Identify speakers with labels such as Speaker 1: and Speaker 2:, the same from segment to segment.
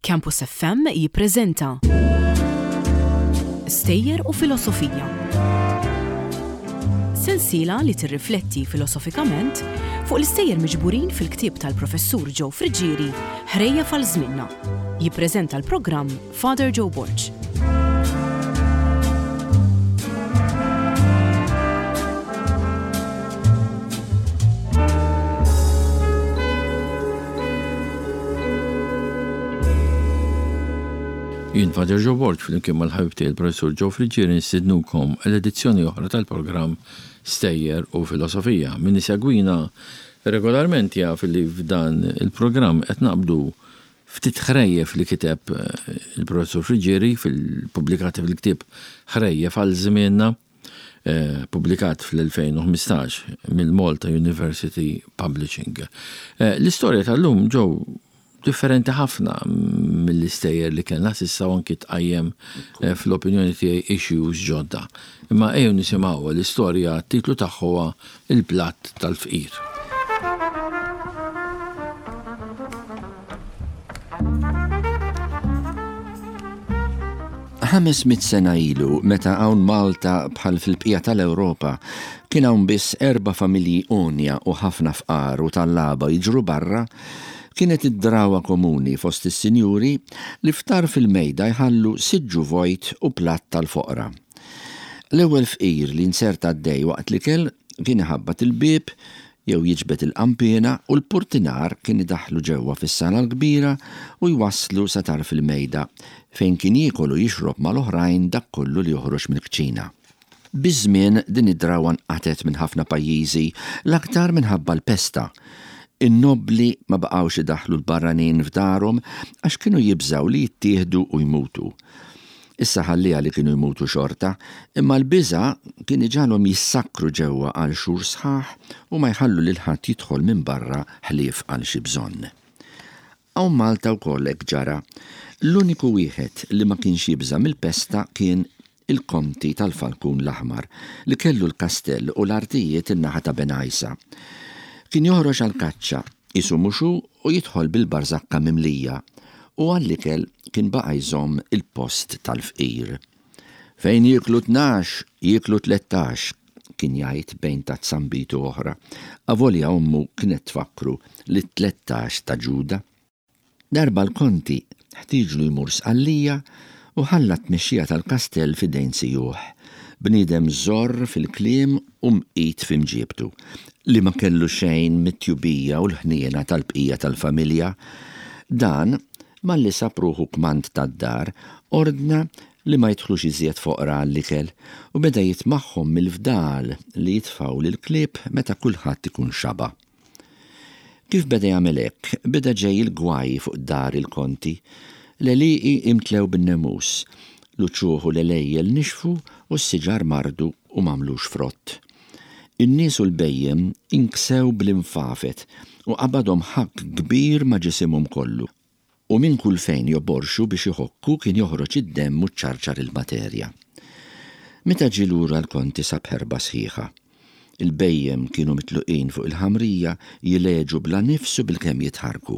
Speaker 1: Campus FM jippreżenta Stejjer u Filosofija. Sensiela li tirrifletti filosofikament fuq l-istejjer miġburin fil-ktieb tal-Professur Joe Friggieri Ħrejjef għal Żmienna. Jippreżenta l-programm Father Joe Borg.
Speaker 2: Jien Father Joe Borg flimkien mal-ħabib tiegħi il-Professur Joe Friggieri nistidnukom għal edizzjoni oħra tal-programm Stejjer u Filosofija. Min isegwina regolarment jaf li f'dan il-programm qed naqbdu Ftit ħrejjef li kiteb il-Professur Friggieri fil-pubblikati fil-ktieb Ħrejjef għal Żmienna, pubblikat fl-2015 mill-Malta University Publishing. L-istorja tal-lum ġew differenti ħafna mill-istejjer li kellna s'issa u anki tqajjem fl-opinjoni tiegħi issues ġodda. Imma ejjew nisimgħuha l-istorja t-titlu tagħha huwa Il-Platt tal-Fqir.
Speaker 3: 500 sena ilu, meta hawn Malta bħal fil-bqija tal-Ewropa, kien hawn biss erba' familji għonja u ħafna fqar u tallaba jiġru barra, kienet id-drawwa komuni fost is-sinjuri li f'tarf il-mejda jħallu siġġu vojt u platt tal-foqra. L-ewwel fqir li nzerta għaddej waqt l-ikel kien iħabbat il-bieb jew jiġbed il-qanpiena u l-purtinar kien idaħħlu ġewwa fis-sala l-kbira u jwasslu sa tarf il-mejda fejn kien jiekol u jixrob mal-oħrajn dak kollu li joħroġ mill-kċina. Biż-żmien din id-drawwa nqatgħet minn ħafna pajjiżi, l-aktar minħabba l-pesta. In-nobbli ma baqgħux idaħħlu l-barranin f'darhom għax kienu jibżgħu li jittieħdu u jmutu. Issa ħalliha li kienu jmutu xorta, imma l-biża' kien iġagħalhom jissakkru ġewwa għal xhur sħaħ u ma jħallu lil ħadd jidħol minn barra ħlief għal xi bżonn. Hawn Malta wkoll hekk ġara. L-uniku wieħed li ma kienx jibża' mill-pesta kien il-Konti tal-Falkun l-Aħmar li kellu l-kastell u l-artijiet in-naħa ta' Bengħajsa. Kien joħroġ għall-kaċċa, qisu mhux hu u jidħol bil-barżakka mimlija u għall-ikel kien baqa' jżomm il-post tal-fqir. Fejn jieklu 12, jieklu 13, kien jgħid bejn tazza nbid u oħra, avolja ommu kienet tfakkru li t-13 ta' Ġuda. Darba l-Konti ħtieġlu jmur Sqallija u ħalla t-tmexxija tal-kastell f'idejn sijuh, bniedem żorr fil-kliem u mqit fi mġiebtu, li ma kellu xejn mit-tjubija u l-ħniena tal-bqija tal-familja. Dan, malli sab ruħu kmand tad-dar, ordna li ma jidħlux iżjed foqra għall-ikel u beda jitmagħhom mill-fdal li jitfgħu lill-klieb meta kulħadd ikun xaba'. Kif beda jagħmel hekk, beda ġej il-gwaj fuq dar il-Konti. L-għelieqi imtlew bin-nemus, l-uċuħ u l-għelejjel nixfu u s-siġar mardu u m'għamlux frott. In-nies u l-bhejjem inksew bl-infafet u qabadhom ħakk kbir ma' ġisimhom kollu. U minn kull fejn joborxu biex iħokku kien joħroġ id-demm u ċċarċar il-materja. Meta ġie lura l-Konti sab ħerba sħiħa. Il-bhejjem kienu mitluqin fuq il-ħamrija jileġu bla nifs u bilkemm jitħarrku.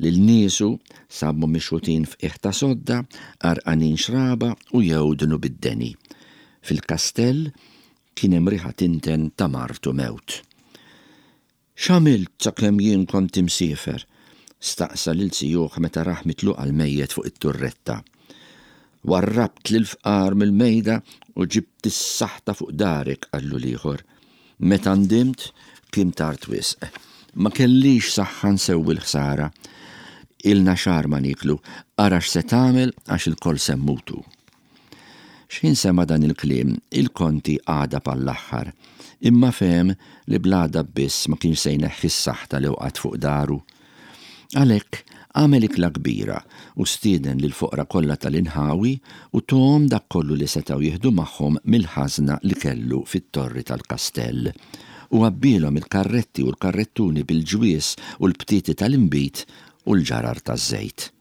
Speaker 3: Lil niesu sabhom mixħutin f'qiegħ ta' sodda, għarqanin xraba u jewdnu bid-deni. Fil-kastell kien hemm riħa tinten ta' mard u mewt. X'għamilt sakemm jien kont imsiefer? staqsa lil zijuh meta rah mitluq għall-mejjet fuq it-turretta. Warrabt lill-fqar mill-mejda u ġibt is-saħta fuq darek, qallu l-ieħor. Meta ndimt, kien tard wisq. Ma kellix saħħa nsewwi l-ħsara. Ilna xahar ma nieklu, ara x'se tagħmel għax ilkoll se mmutu. X'ħin sema' dan il-kliem, il-Konti għadab għall-aħħar, imma fehem li bl-għadab biss ma kienx se jneħħi s-saħta li wqgħet fuq daru. Għalhekk, għamel ikla kbira u stieden lill-foqra kollha tal-inħawi u tahom dak kollu li setgħu jieħdu magħhom mill-ħażna li kellu fit-torri tal-kastell, u għabbielhom il-karretti u l-karrettuni bil-ġwież u l-btieti tal-inbid u l-ġarar taż-żejt.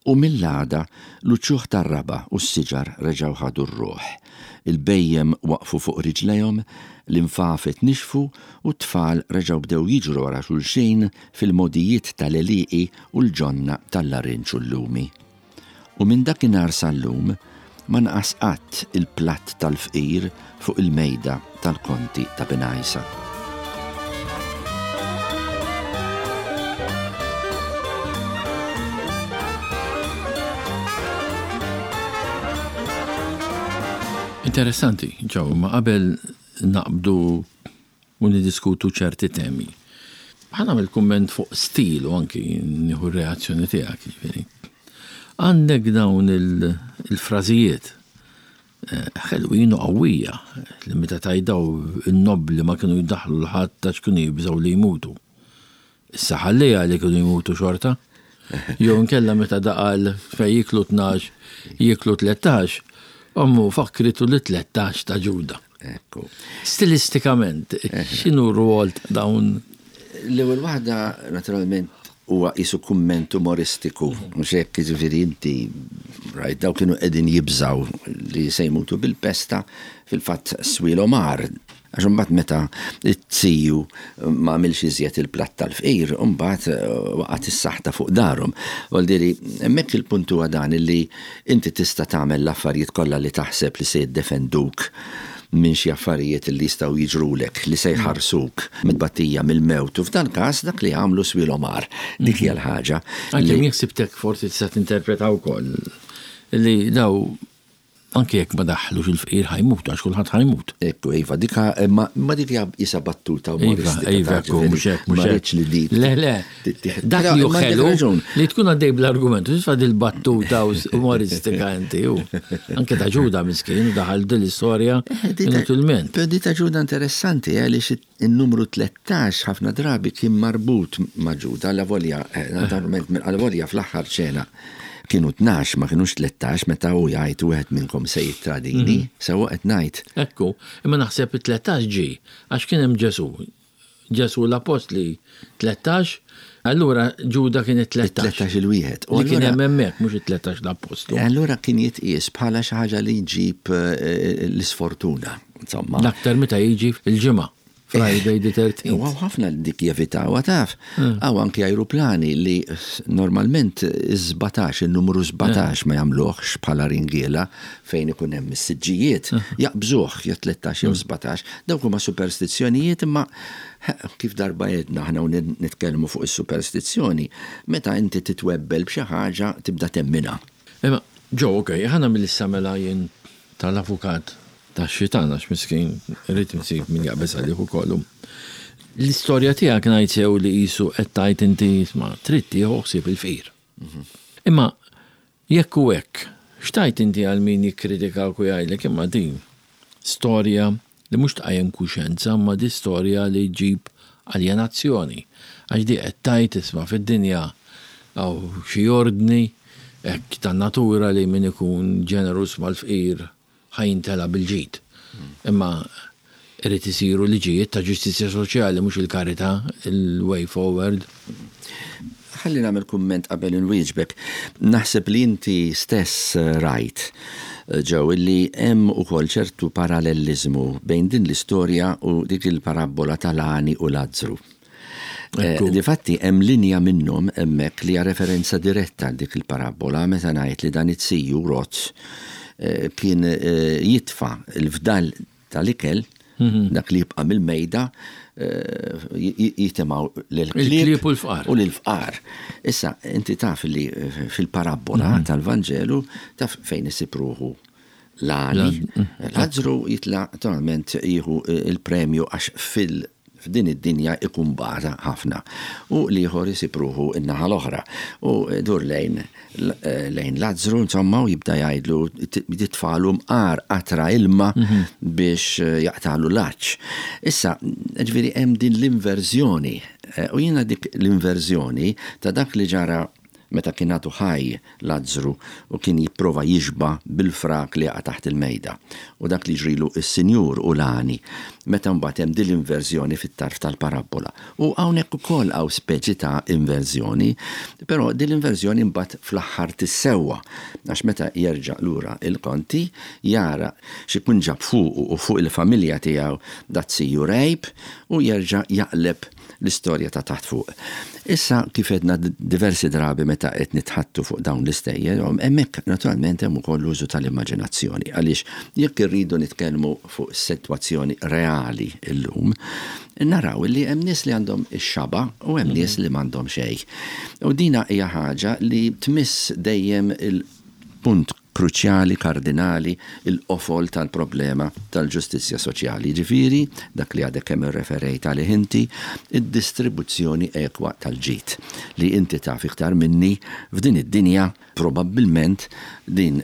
Speaker 3: U mill-għada l-uċuħ tar-raba' u s-siġar reġgħu ħadu r-ruħ. Il-bhejjem waqfu fuq riġlejhom, l-infafet nixfu u t-tfal reġgħu bdew jiġru wara xulxin fil-mogħdijiet tal-għelieqi u l-ġonna tal-larinġ u l-lumi. U minn dakinhar sal-lum ma naqas qatt il-platt tal-fqir fuq il-mejda tal-Konti ta' Bengħajsa.
Speaker 2: Interessanti, ġew, imma qabel naqbdu u niddiskutu ċerti temi. Ħa nagħmel kumment fuq stil u anki nieħu r-reazzjoni tiegħek, jiġifieri. Għandek dawn il-frażijiet eh, ħelwin u qawwija li meta tajdaw in-nobbli ma kienu jdaħħlu l-ħadd għax kienu jibżgħu li jmutu. Issa ħalliha li kienu jmutu xorta. Jew inkella meta daqal fejn jiklu 12, jiklu 13, ommu fakkritu li 13 ta' Ġuda.
Speaker 3: Ekku.
Speaker 2: Stilistikament, x'inhu r-rwol ta' dawn?
Speaker 3: L-ewwel waħda, naturalment, huwa qisu kumment umoristiku, mhux hekk, jiġifieri inti rajt daw kienu qegħdin jibżgħu li se jmutu bil-pesta, fil-fatt swielhom agħar. Għax imbagħad meta t-tiju ma għamilx iżjed il-platt tal-fqir, imbagħad waqgħet is-saħta fuq darhom. Voldiri, hemmhekk il-punt huwa dan illi inti tista' tagħmel l-affarijiet kollha li taħseb li se jiddefenduk minn xi affarijiet li jistgħu jiġrulek, li se jħarsuk mit-tbatija, mill-mewt, u f'dan każ dak li għamlu swielhom agħar. Dik hija l-ħaġa.
Speaker 2: Għalkemm jekk sibtek forsi tista' tinterpreta wkoll li daw Anke jekk ma daħħlux il-fqir ħa jmut għax kulħadd ħa jmut.
Speaker 3: Ekku, iva, dik imma imma dik hija qisha battuta umoristika.
Speaker 2: Iva, iva, ekku, mhux hekk, mhux
Speaker 3: hekk. Ma rridx li dik.
Speaker 2: Le, le. Dak li hu ħelu li tkun għaddej bl-argument, u titfa' dil-battuta umoristika inti u. Anke ta' Ġuda miskin daħal din l-istorja inutilment.
Speaker 3: Però di ta' Ġuda interessanti għaliex In-numru 13 ħafna drabi kien marbut ma' Ġuda, allavolja, naturalment, allavolja fl-aħħar ċena kienu 12 ma kinux 13 meta hu jgħid wieħed minnkom se jittradini, sewwa qed ngħid?
Speaker 2: Ekku, imma naħseb it-13 ġie għax kien hemm Ġesù. Ġesù l-appostli 13, allura Ġuda kien it-13.
Speaker 3: It-13 il-wieħed.
Speaker 2: Li kien hemm hemmhekk mhux it-13 l-appostlu.
Speaker 3: Allura kien jitqies bħala xi ħaġa li jġib l-isfortuna. Insomma.
Speaker 2: L-aktar meta jiġi il-ġimgħa. Friday the 13th.
Speaker 3: U ħafna li dik jevitawha taf. Hawn anki ajruplani li normalment is-17, in-numru 17 ma jagħmluhx bħala ringiela fejn ikun hemm is-siġġijiet, jaqbżuh jew 13 jew 17. Dawk huma superstizzjonijiet imma kif darba għedna aħna u nitkellmu fuq is-superstizzjoni, meta inti titwebbel b'xi ħaġa tibda temminha.
Speaker 2: Imma Joe, ok, ħa nagħmel issa mela jien tal-avukat tax-xitan għax miskin irrid insib min jaqbeż għalih ukoll. L-istorja tiegħek ngħid sew li qisu qed tgħid inti isma' trid tieħu ħsieb il-fqir. Imma jekk hu hekk, x'tgħid inti għal min jikkritikak u jgħidlek imma din storja li mhux tqajjem kuxjenza imma di storja li ġġib aljenazzjoni. Għax di qed tgħid isma' fid-dinja hawn xi ordni hekk tan-natura li min ikun ġeneruż mal-fqir ħa jintela' bil-ġid. Imma irid isiru liġijiet ta' ġustizzja soċjali mhux il-karità il-way forward.
Speaker 3: Ħalli nagħmel kumment qabel inwieġbek. Naħseb li inti stess rajt, Joe, illi hemm ukoll ċertu paralelliżmu bejn din l-istorja u dik il-parabbola tal-għani u Lazzru. Difatti hemm linja minnhom hemmhekk li hija referenza diretta għal dik il-parabbola meta ngħid li dan it-siju Roth kien jitfa' l-fdal tal-ikel, dak li jibqa' mill-mejda, jitimgħu lill-klieb
Speaker 2: u l-fqar.
Speaker 3: U lill-fqar. Issa, inti taf li fil-parabbola tal-Vanġelu taf fejn isib ruħu l-għani. Lazzru jitla' naturalment jieħu l-premju għax fil- f'din id-dinja ikun bata ħafna u l-ieħor isib ruħu n-naħa l-oħra u jdur lejn lejn Lazzru insomma u jibda jgħidlu jitfagħlu mqar qatra ilma biex jaqtagħlu l-għatx. Issa, ġifieri hemm din l-inverżjoni u jiena dik l-inverżjoni ta' dak li ġara. meta kien għadu ħaj Lazzru u kien jipprova jixba' bil-frak li jaqa' taħt il-mejda, u dak li ġrilu s-sinjur u l-għani meta mbagħad hemm din l-inverżjoni fit-tarf tal-parabbola. U hawnhekk ukoll hawn speċi ta' inverżjoni, però din l-inverżjoni mbagħad fl-aħħar tissewwa, għax meta jerġa' lura l-Konti jara x'ikun ġab fuqu u fuq il-familja tiegħu dat-siju rgħib u jerġa' jaqleb l-istorja ta' taħt fuq. Issa, kif għedna diversi drabi meta qed nitħaddtu fuq dawn l-istejjer, hemmhekk naturalment hemm ukoll l-użu tal-immaġinazzjoni għaliex jekk irridu nitkellmu fuq sitwazzjoni reali llum, naraw li hemm nies li għandhom ix-xaba' u hemm nies li m'għandhom xejn. U dina hija ħaġa li tmiss dejjem il-punt kruċjali, kardinali, il-qofol tal-problema tal-ġustizzja soċjali, jiġifieri dak li għadek kemm irreferejt għalih inti, id-distribuzzjoni ekwa tal-ġid, li inti taf iktar minni f'din id-dinja probabbilment din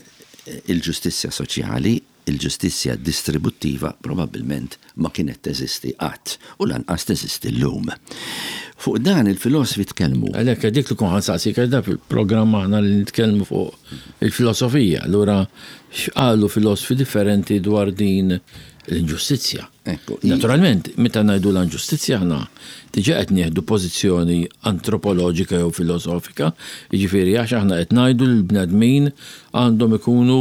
Speaker 3: il-ġustizzja soċjali, il-ġustizzja distributtiva probabbilment ma kienet teżisti qatt u lanqas teżisti llum. Fuq dan il-filosfi tkellmu.
Speaker 2: Għalhekk dik li kont ħa nsaqsik għax dan fil-programm aħna li nitkellmu fuq il-filosofija. Allura x'qalu filosfi differenti dwar din l-inġustizzja? Naturalment, meta ngħidu l-inġustizzja aħna diġà qed nieħdu pożizzjoni antropoloġika jew filosofika, jiġifieri għax aħna qed ngħidu li l-bnedmin għandhom ikunu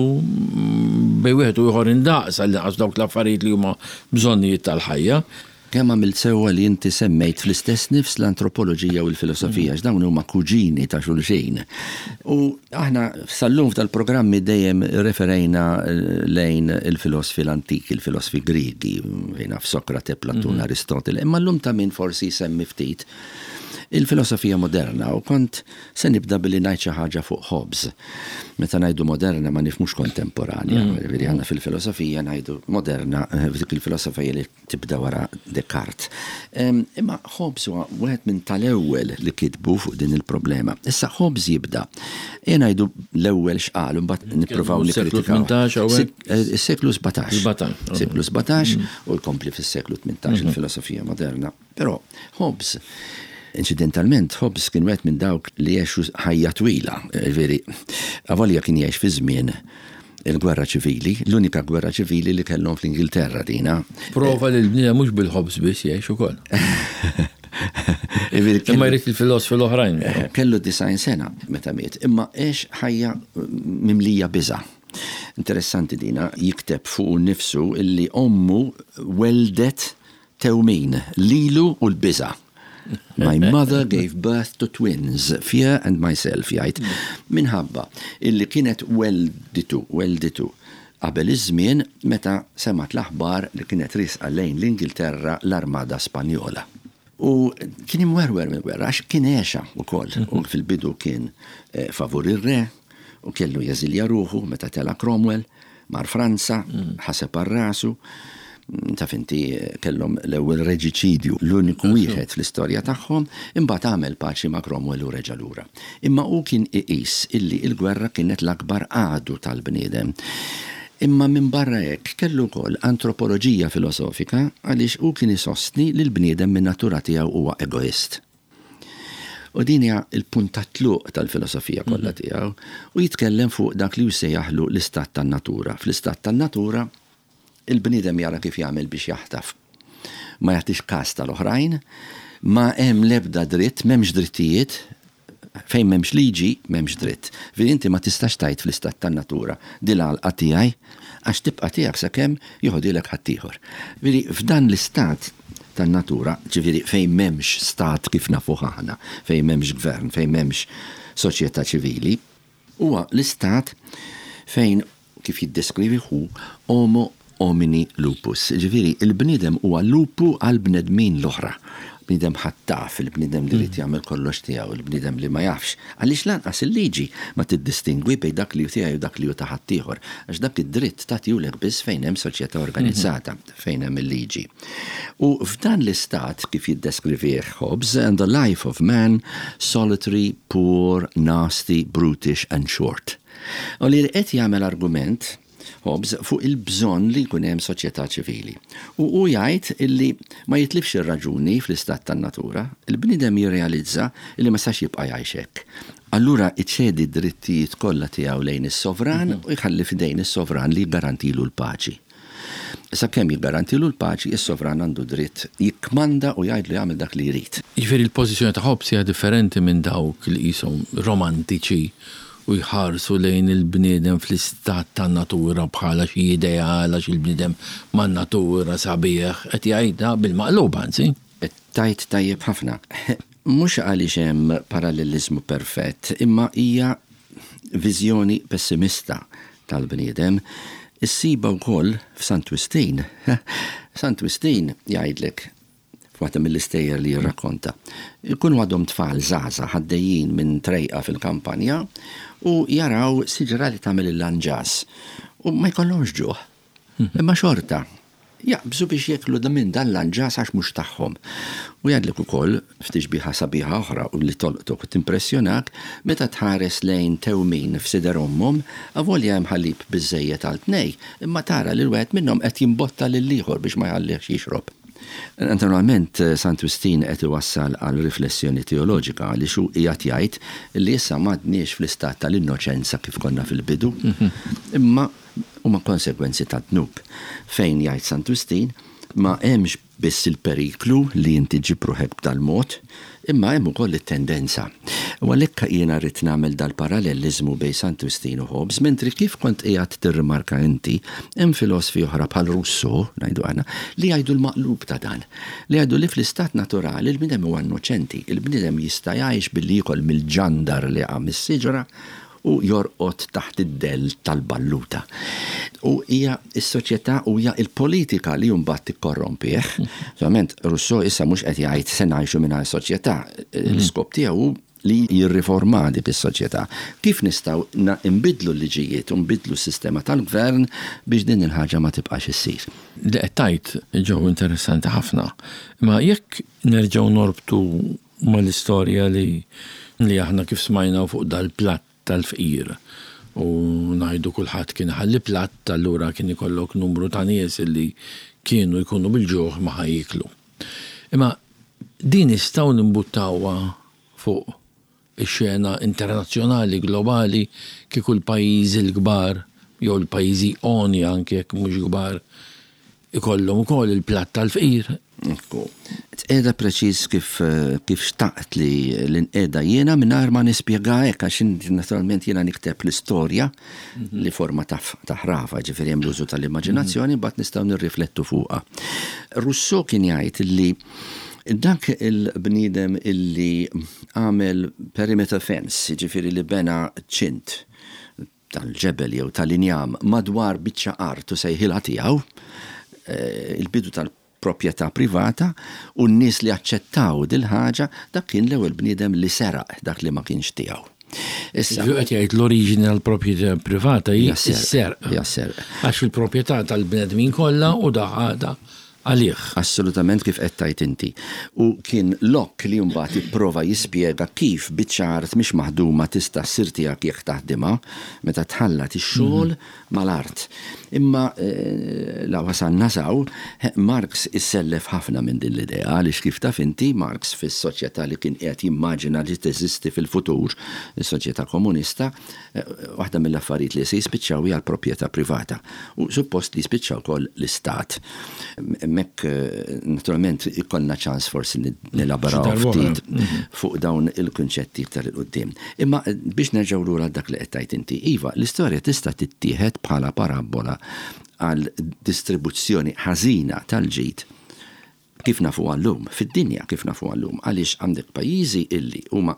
Speaker 2: bejn wieħed u ieħor indaqs għall-inqas dawk l-affarijiet li huma bżonnijiet tal-ħajja.
Speaker 3: Kemm għamilt sewwa li inti semmejt fl-istess nifs l-antropoloġija u l-filosofija, għax dawn huma kuġini ta' xulxin. U aħna sal-lum f'dal-programmi dejjem irreferejna lejn il-filosfi l-antiki, il-filosfi Griegi, fejn naf Sokrate, Platun, Aristotele, imma llum ta' min forsi jsemmi ftit il-filosofija moderna u kont se nibda billi ngħid xi ħaġa fuq Hobbes. Meta ngħidu moderna ma nifhmux kontemporanja, jiġifieri aħna fil-filosofija ngħidu moderna f'dik il-filosofija li tibda wara Descartes. Imma Hobbes huwa wieħed minn tal-ewwel li kitbu fuq din il-problema. Issa Hobbes jibda, ejja ngħidu l-ewwel x'qal u mbagħad nippruvaw nikkritikaw. Is-seklu 17. Seklu 17 u jkompli fis-seklu 18 il-filosofija moderna. Però Hobbes, inċidentalment, Hobbes kien wieħed minn dawk li għexu ħajja twila, jiġifieri, avolja kien jgħix fi żmien il-gwerra ċivili, l-unika gwerra ċivili li kellhom fl-Ingilterra dina.
Speaker 2: Prova li l-bniedem mhux bil-ħobż biss jgħix ukoll. Imma jrid il-filosfi l-oħrajn.
Speaker 3: Kellu 90 sena meta miet, imma għex ħajja mimlija biża'. Interessanti dina, jikteb fuqu nnifsu illi ommu welldet Tewmin, lilu u l-biża'. My mother gave birth to twins, fear and myself, jgħid, minħabba illi kienet wellditu, wellditu, qabel iż-żmien meta semgħet l-aħbar li kienet riesqa lejn l-Ingilterra l-Armada Spanjola. U kien imwerwer mill-gwerra għax kien għexha wkoll u fil-bidu kien favur ir-re u kellu jeżilja ruħu meta tela' Cromwell. Mar Franza, ħaseb għal rasu, taf inti kellhom l-ewwel reġiċidju, l-uniku wieħed fl-istorja tagħhom, imbagħad għamel paċi ma' Cromwell u reġa' lura. Imma hu kien iqis illi l-gwerra kienet l-akbar għadu tal-bniedem. Imma minbarra hekk kellu wkoll antropoloġija filosofika għaliex hu kien isostni li l-bniedem min-natura tiegħu huwa egoist. U din hija l-punt tat-tluq tal-filosofija kollha mhm. tiegħu u jitkellem fuq dak li jsejjaħlu l-istat tan-natura. Fl-istat tan-natura il-bniedem jara kif jagħmel biex jaħtaf. Ma jagħtix każ tal-oħrajn, ma hemm l-ebda dritt, m'hemmx drittijiet, fejn m'hemmx liġi, m'hemmx dritt. Veri inti ma tistax tgħid fl-istat tan-natura din l-għalqa tiegħi għax tibqa' tiegħek sakemm joħodilek ħaddieħor. Veri f'dan l-istat tan-natura, ġifieri fejn m'hemmx stat kif nafuh aħna, fejn m'hemmx gvern, fejn m'hemmx soċjetà ċivili, huwa l-istat fejn, kif jiddeskrivih hu, homo homini lupus. Ġifieri l-bniedem huwa lupu għall-bnedmin l-oħra. Bniedem ħattaf, il-bniedem li jrid jagħmel kollox tiegħu, il-bniedem li ma jafx. Għaliex lanqas il-liġi ma tiddistingwi bejn dak li hu tiegħi u dak li hu ta' ħaddieħor. Għax dak id-dritt tagħtihulek biss fejn hemm soċjetà organizzata. fejn hemm il-liġi. U f'dan l-istat, kif jiddeskrivih Hobbes, and the life of man, solitary, poor, nasty, brutish and short. U li qed jagħmel argument Hobbes fuq il-bżonn li jkun hemm soċjetà ċivili. U hu jgħid illi ma jitlifx ir-raġuni fl-istat tan-natura, il-bniedem jirrealizza illi ma jistax jibqa' jgħix hekk. Allura iċedi d-drittijiet kollha tiegħu lejn is-sovran u jħalli f'idejn is-sovran li jiggarantilu l-paċi. Sakemm jiggarantilu l-paċi, is-sovran għandu dritt jikkmanda u jgħidlu jagħmel dak li jrid.
Speaker 2: Jiġifieri l-pożizzjoni ta' Hobbes hija differenti minn dawk li qishom romantiċi u jħarsu lejn il-bniedem fl-istat tan-natura bħala xi ideal għax il-bniedem man-natura sabiħ, qed jgħidha bil-maqlub anzi.
Speaker 3: Qed tgħid tajjeb ħafna. Mhux għaliex hemm paralleliżmu perfett, imma hija viżjoni pessimista tal-bniedem. Issibha wkoll f'Sant Wistin. Sant Wistin jgħidlek f'waħda mill-istejjer li jirrakkonta, ikunu għadhom tfal żgħażagħ għaddejjin minn trejqa fil-kampanja u jaraw siġra li tagħmel il-lanġas u ma jkollhomx ġuħ. Imma xorta, jaqbżu biex jieklu minn dan l-anġas għax mhux tagħhom. U jgħidlek ukoll, f'tixbiha sabiħa oħra u li tolqtok u timpressjonak, meta tħares lejn tewmin f'sider ommhom, avolja hemm ħalib biżżejjed għal tnej, imma tara lil wieħed minnhom qed jimbotta lill-ieħor biex ma jħallihx jixrob. Naturalment, Sant Wistin qed iwassal għal riflessjoni teoloġika għaliex hu qiegħed jgħid li issa m'għadniex fl-istat tal-innoċenza kif konna fil-bidu, imma huma konsegwenzi tad-dnub. Fejn, jgħid Sant Wistin, ma hemmx biss il-periklu li inti ġġib ruħek b'dal-mod, imma hemm ukoll it-tendenza. U għalhekk jiena ridt nagħmel dal-paralleliżmu bejn Sant Wistin u Hobbes, mentri kif kont qiegħed tirrimarka inti, hemm filosfi oħra bħal Rousseau, ngħidu aħna, li jgħidu l-maqlub ta' dan. Li jgħidu li fl-istat naturali l-bniedem huwa innoċenti, il-bniedem jista' jgħix billi jiekol mill-ġandar li jaqa' mis-siġra u jorqod taħt id-dell tal-balluta. U hija s-soċjetà u hija l-politika li mbagħad tikkorrompih. Ovvjament Rousseau issa mhux qed jgħid se ngħixu mingħajr soċjetà. L-iskop tiegħu hu li jirriforma dik is-soċjetà. Kif nistgħu nbiddlu l-liġijiet u nbiddlu s-sistema tal-gvern biex din il-ħaġa ma tibqax issir.
Speaker 2: Li qed tgħid Joe interessanti ħafna. Imma jekk nerġgħu norbtu mal-istorja li li aħna kif smajna fuq dal-platt tal-fqir u ngħidu kulħadd kien iħalli platt allura kien ikollok numru ta' nies li kienu jkunu bil-ġuħ ma ħa jieklu. Imma din nistgħu nimbuttawha fuq ix-xena internazzjonali globali kieku l-pajjiżi l-kbar jew l-pajjiżi għonja anke jekk mhux kbar ikollhom ukoll il-platt tal-fqir.
Speaker 3: Ekku. Tqiegħda preċiż kif kif xtaqt li li nqiegħda jiena mingħajr ma nispjega hekk għax naturalment jiena nikteb l-istorja li forma ta' ta' ħrafa, ġifieri hemm l-użu tal-immaġinazzjoni mbagħad nistgħu nirriflettu fuqha. Rousseau kien jgħid li dak il-bniedem illi għamel perimeter fence, jiġifieri li bena ċint tal-ġebel jew tal-injam madwar biċċa art u sejħilha tiegħu, il-bidu tal-proprjetà privata, u n-nies li aċċettaw dil-ħaġa, dak kien l-ewwel bniedem li seraq dak li ma kienx tiegħu.
Speaker 2: Issa. Ġifieri qed jgħid l-oriġini tal-proprjetà privata hi s-serq.
Speaker 3: Hija s-serq.
Speaker 2: Għax il-proprjetà tal-bnedmin kollha u daħadha għalih.
Speaker 3: Assolutament kif qed tgħid inti. U kien Locke li mbagħad ipprova jispjega kif biċċa art mhix maħduma tista' ssir tiegħek jekk taħdimha, meta tħallat ix-xogħol mal-art. Imma la wasalna s'hawn, Marx issellef ħafna minn din l-idea għaliex kif taf inti, Marx fis-soċjetà li kien qiegħed jimmaġina li teżisti fil-futur, is-soċjetà komunista, Waħda mill-affarijiet li se jispiċċaw hija l-proprjetà privata u suppost li jispiċċa wkoll l-istat. Hemmhekk naturalment ikollna ċans forsi nelaboraw ftit fuq dawn il-kunċetti iktar 'il quddiem. Imma biex nerġgħu lura għal dak li qed tgħid inti, iva, l-istorja tista' tittieħed bħala parabbola għal distribuzzjoni ħażina tal-ġid kif nafuha llum, fid-dinja kif nafuha llum, għaliex għandek pajjiżi illi huma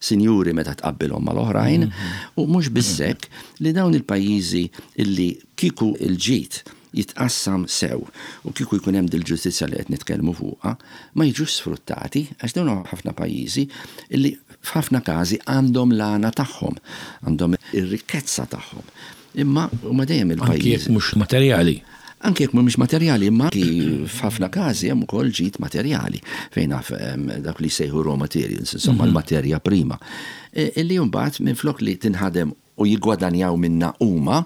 Speaker 3: sinjuri meta tqabbilhom mal-oħrajn, u mhux biss hekk, li dawn il-pajjiżi illi kieku l-ġid jitqassam sew u kieku jkun hemm dil-ġustizzja li qed nitkellmu fuqha, ma jiġux sfruttati għax dawn huma ħafna pajjiżi illi f'ħafna każi għandhom l-għana tagħhom, għandhom ir-rikkezza tagħhom. Imma huma dejjem il-pajjiżi.
Speaker 2: Anki jekk mhux materjali.
Speaker 3: Anki jekk mhumiex materjali, imma anki f'ħafna każi hemm ukoll ġid materjali, fejn naf dawk li jsejħu raw materials, insomma l-materja prima, illi mbagħad minflok li tinħadem u jiggwadanjaw minnha huma,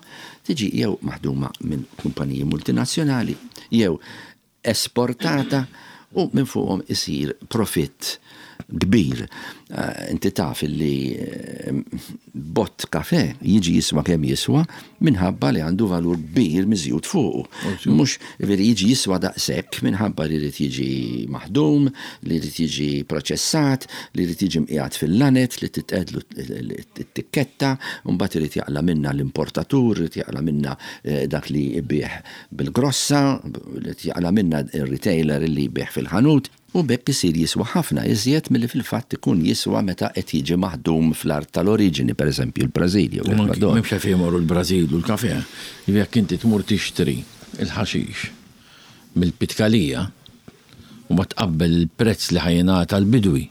Speaker 3: tiġi jew maħduma minn kumpaniji multinazzjonali jew esportata u minn fuqhom isir profitt. kbir. Inti taf illi bott kafè jiġi jiswa kemm jiswa minħabba li għandu valur kbir miżjud fuqu. Mhux jiġifieri jiġi jiswa daqshekk minħabba li jrid jiġi maħdum, li jrid jiġi proċessat, li jrid jiġi mqiegħed fil-lanet, li titqegħdlu t-tikketta, u mbagħad irid jaqla' minnha l-importatur, irid jaqla' minnha dak li jbigħ bil-grossa, irid jaqla' minnha r-retailer li jbigħ fil-ħanut. U b'hekk isir jiswa ħafna iżjed milli fil-fatt ikun jiswa meta qed jiġi maħdum fl-art tal-oriġini, pereżempju l-Brażil jew
Speaker 2: l-Ekwador. M'hemmx għalfejn imorru l-Brażil u l-kafè. Jekk inti tmur tixtri l-ħaxix mill-Pitkalija u mbagħad tqabbel il-prezz li ħa jingħata l-bidwi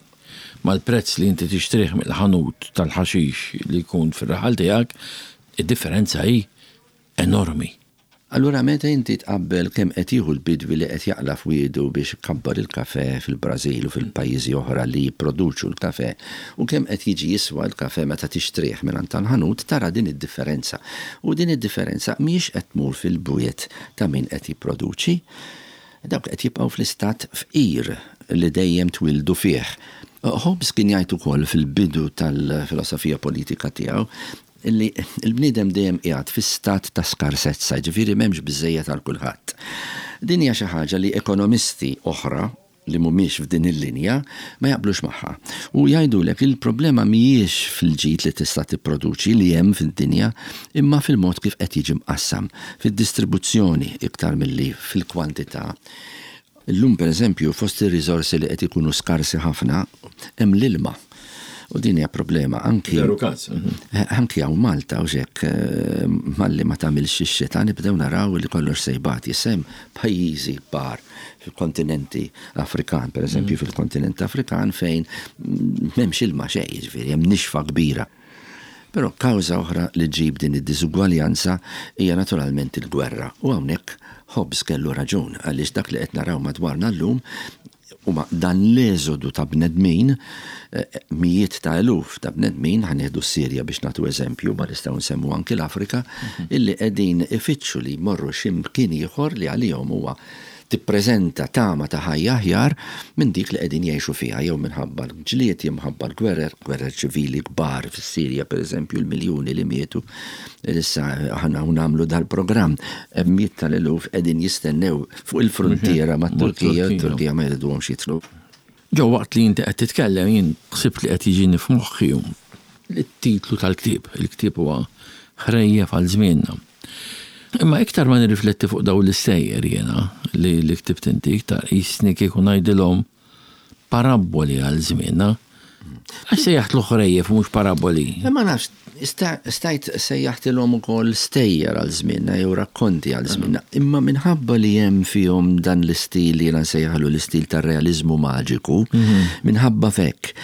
Speaker 2: mal-prezz li inti tixtrih mill-ħanut tal-ħaxix li jkun fir-raħal tiegħek, id-differenza hi enormi.
Speaker 3: Allura meta inti tqabbel kemm qed jieħu l-bidwi li qed jaqla' f'wiedu biex ikabbar il-kafè fil-Brażil u fil-pajjiżi oħra li jipproduċu l-kafè u kemm qed jiġi jiswa l-kafè meta tixtrih mingħand tal-ħanut tara din id-differenza. U din id-differenza mhijiex qed tmur fil-bwiet ta' min qed jipproduċi. Dawk qed jibqgħu fl-istat fqir li dejjem twieldu fih. Hobbes kien jgħid ukoll fil-bidu tal-filosofija politika tiegħu Illi l-bniedem dejjem qiegħed fi stat ta' skarsezza, jiġifieri m'hemmx biżżejjed għal kulħadd. Din hija xi ħaġa li ekonomisti oħra li mhumiex f'din il-linja ma jaqblux magħha. U jgħidulek li l-problema mhijiex fil-ġid li tista' tipproduċi li hemm fid-dinja imma fil-mod kif qed jiġi mqassam, fid-distribuzzjoni iktar milli fil-kwantità. Illum pereżempju fost ir-riżorsi li qed ikunu skarsi ħafna hemm l-ilma. U din hija problema anki.
Speaker 2: Veru każ.
Speaker 3: Anki hawn Malta u hekk malli ma tagħmilx ix-xita nibdew naraw li kollox se jbati. Issa hemm pajjiżi kbar fil-kontinenti Afrikan, pereżempju fil-kontinent Afrikan fejn m'hemmx ilma xejn, jiġifieri hemm nixfa kbira. Però kawża oħra li ġġib din id-diżugwaljanza hija naturalment il-gwerra. U hawnhekk Hobbes kellu raġun għaliex dak li qed naraw madwarna llum huma dan l-eżodu ta' bnedmin, mijiet ta' eluf ta' bnedmin, ħa nieħdu s-Sirja biex nagħtu eżempju, ma nistgħu nsemmu anki l-Afrika, illi qegħdin ifittxu li jmorru xi mkien ieħor li għalihom huwa tippreżenta tama ta' ħajja aħjar minn dik li qegħdin jgħixu fiha jew minħabba l-ġlied jew minħabba l-gwerer, gwerer ċivili kbar fis-Sirja pereżempju, l-miljuni li mietu. Issa aħna u nagħmlu dal-programm, hemm mijiet tal-eluf qegħdin jistennew fuq il-fruntiera mat-Turkija, t-Turkija ma jriduhomx jidħlu.
Speaker 2: Joe, waqt li inti qed titkellem jien ħsibt li qed jiġini f'moħħi it-titlu tal-ktieb. Il-ktieb huwa Ħrejjef għal Żmienna. Imma iktar ma nirrifletti fuq dawn l-istejjer jiena li li ktibt inti, iktar qisni kieku ngħidilhom parabboli għal żmienna. Għax sejjaħtlu ħrejjef u mhux parabboli?
Speaker 3: Ma nafx, stajt sejjaħtilhom ukoll stejjer għal żmienna jew rakkonti għal żmienna. Imma minħabba li hemm fihom dan l-istil li jiena nsejjaħlu l-istil tar-realiżmu maġiku, minħabba f'hekk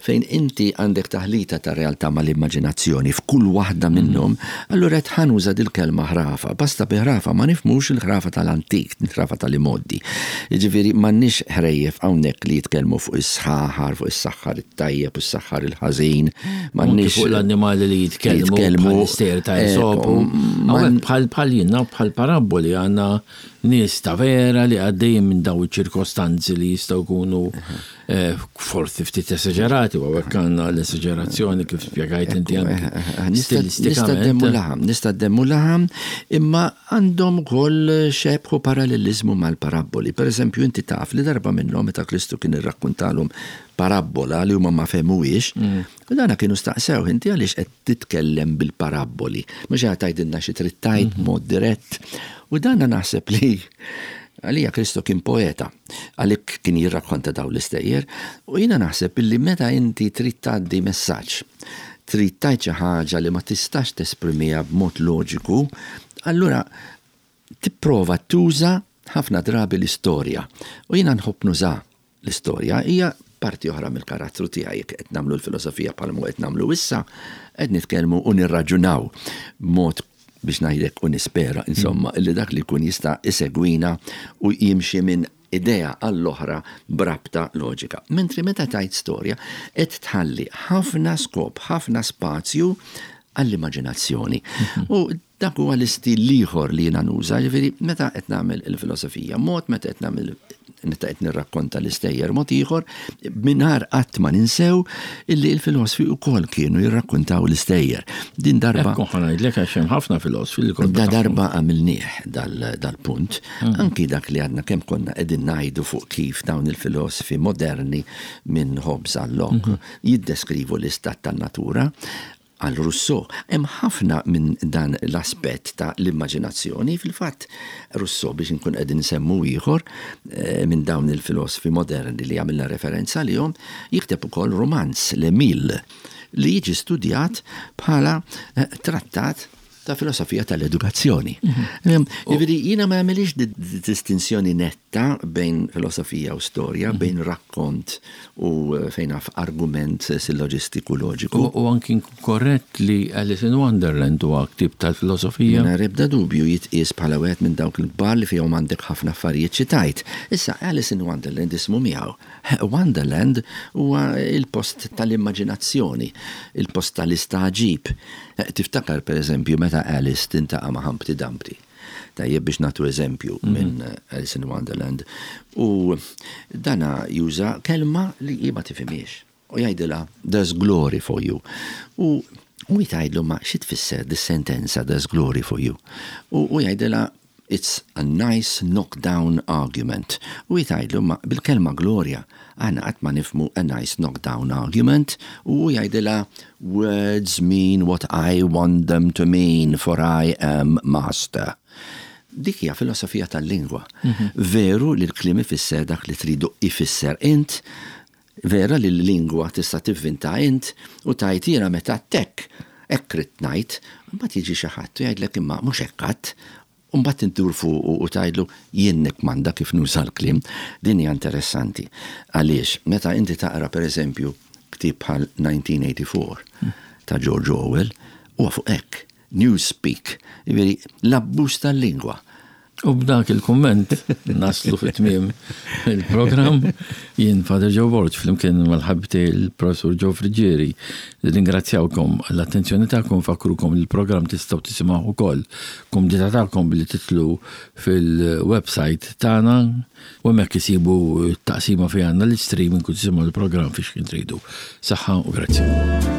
Speaker 3: Fejn inti għandek taħlita ta' realtà mal-immaġinazzjoni f'kull waħda minnhom, allura qed ħa nuża dil-kelma ħrafa. Basta bi ħrafa ma nifhmux il-ħrafa tal-antik, il-ħrafa tal-imgħoddi. Jiġifieri m'għandniex ħrejjef hawnhekk li jitkellmu fuq is-sħaħar, fuq is-saħħar it-tajjeb u s-saħħar il-ħażin.
Speaker 2: M'għandniex fuq l-annimali li jitkellmu bħall-istejjer ta' Esopu. Hawnhekk bħal bħal jiena bħal parabboli għandna nies ta' vera li għaddejjin minn dawn iċ-ċirkostanzi li jistgħu jkunu forsi ftit esaġerati, u hawnhekk għandna l-esaġerazzjoni kif spjegajt inti anki
Speaker 3: stilistikament. Nista' ddemmu laħam, nista' ddemmu laħam, imma għandhom ukoll xebh u paralleliżmu mal-parabboli. Per eżempju, inti taf li darba minnhom meta Kristu kien irrakkuntalhom parabbola li huma ma fehmuhiex, u dana kienu staqsewh inti għaliex qed titkellem bil-parabboli, mhux qed tgħidilna xi trid tgħid b'mod dirett. U dana naħseb li għalija Kristu kien poeta. Għalhekk kien jirrakkonta dawn l-istejjer u jiena naħseb illi meta inti trid tgħaddi messaġġ, trid tgħid xi ħaġa li ma tistax tesprimiha b'mod loġiku, allura tipprova tuża ħafna drabi l-istorja. U jiena nħobb nuża l-istorja, hija parti oħra mill-karattru tiegħi jekk qed nagħmlu l-filosofija bħalma qed nagħmlu issa, qed nitkellmu u nirraġunaw b'mod biex ngħidlek u nispera insomma illi dak li jkun jista' isegwina u jimxi minn idea għall-oħra b'rabta loġika. Mentri meta tgħid storja qed tħalli ħafna skop, ħafna spazju għall-immaġinazzjoni. U dak huwa l-istil l-ieħor li jiena nuża, jiġifieri meta qed nagħmel il-filosofija mod, meta qed nagħmel meta qed nirrakkonta l-istejjer mod ieħor, mingħajr qatt ma ninsew illi l-filosfi wkoll kienu jirrakkontaw l-istejjer. Din darba.
Speaker 2: Ekku ħa ngħidlek għax hemm ħafna filosfi li
Speaker 3: Da darba għamilnieh dal-punt, anki dak li għadna kemm konna qegħdin ngħidu fuq kif dawn il-filosfi moderni minn Hobbes għal Locke jiddeskrivu l-istat tan-natura, Għal Rousseau, hemm ħafna minn dan l-aspett ta' l-immaġinazzjoni. Fil-fatt, Rousseau, biex inkun qegħdin insemmu ieħor minn dawn il-filosfi moderni li għamilna referenza għalihom, jikteb ukoll rumanz, L'Emile, li jiġi studjat bħala trattat ta' filosofija tal-edukazzjoni. Jiġifieri jiena ma nagħmilhiex distinzjoni netta bejn filosofija u storja, bejn rakkont u fejn naf argument silloġistiku loġiku.
Speaker 2: U anki nkun korrett li Alice in Wonderland huwa ktieb tal-filosofija.
Speaker 3: Mingħajr ebda dubju jitqies bħala wieħed minn dawk il-kbar li fihom għandek ħafna affarijiet xi tgħid. Issa Alice in Wonderland ismu miegħu. Wonderland huwa l-post tal-immaġinazzjoni, il-post tal-istagħġib. Tiftakar pereżempju meta Alice tintaqa' ma' Humpty Dumpty. Tajjeb biex nagħtu eżempju minn Alice in Wonderland. U dana juża kelma li hi ma tifhimhiex. U jgħidilha there's glory for you. U u hi tgħidlu ma xi tfisser dis-sentenza there's glory for you. U hu jgħidilha It's a nice knock down argument. U hi tgħidlu imma bil-kelma glorja aħna qatt ma nifhmu a nice knock down argument u hu jgħidilha words mean what I want them to mean for I am master. Dik hija filosofija tal-lingwa. Veru li l-kliem ifisser dak li tridu ifisser int, Vera li l-lingwa tista' tivvinta int u tgħid jiena meta għedt hekk, hekk ridt ngħid, imbagħad jiġi xi ħadd u jgħidlek imma mhux hekk għedt. U mbagħad int ddur fuqu u tgħidlu jien nikkmanda kif nuża l-kliem. Din hija interessanti. Għaliex meta inti taqra pereżempju ktieb bħal 1984 ta' George Orwell, huwa fuq hekk, newspeak, jiġifieri l-abbuż tal-lingwa.
Speaker 2: U b'dak il-kumment naslu fi tmiem il-programm. Jien Father Joe Borg flimkien mal-ħabib tiegħi il-Professur Joe Friggieri. Ringrazzjawkom għall-attenzjoni tagħkom, fakrukom li l-programm tistgħu tisimgħuh ukoll kumdità tagħkom billi titlu fil-website tagħna u hemmhekk isibu t-taqsima fejn għandna l-istreaming u tisimgħu l-programm fiex kien tridu. Saħħa u grazzi.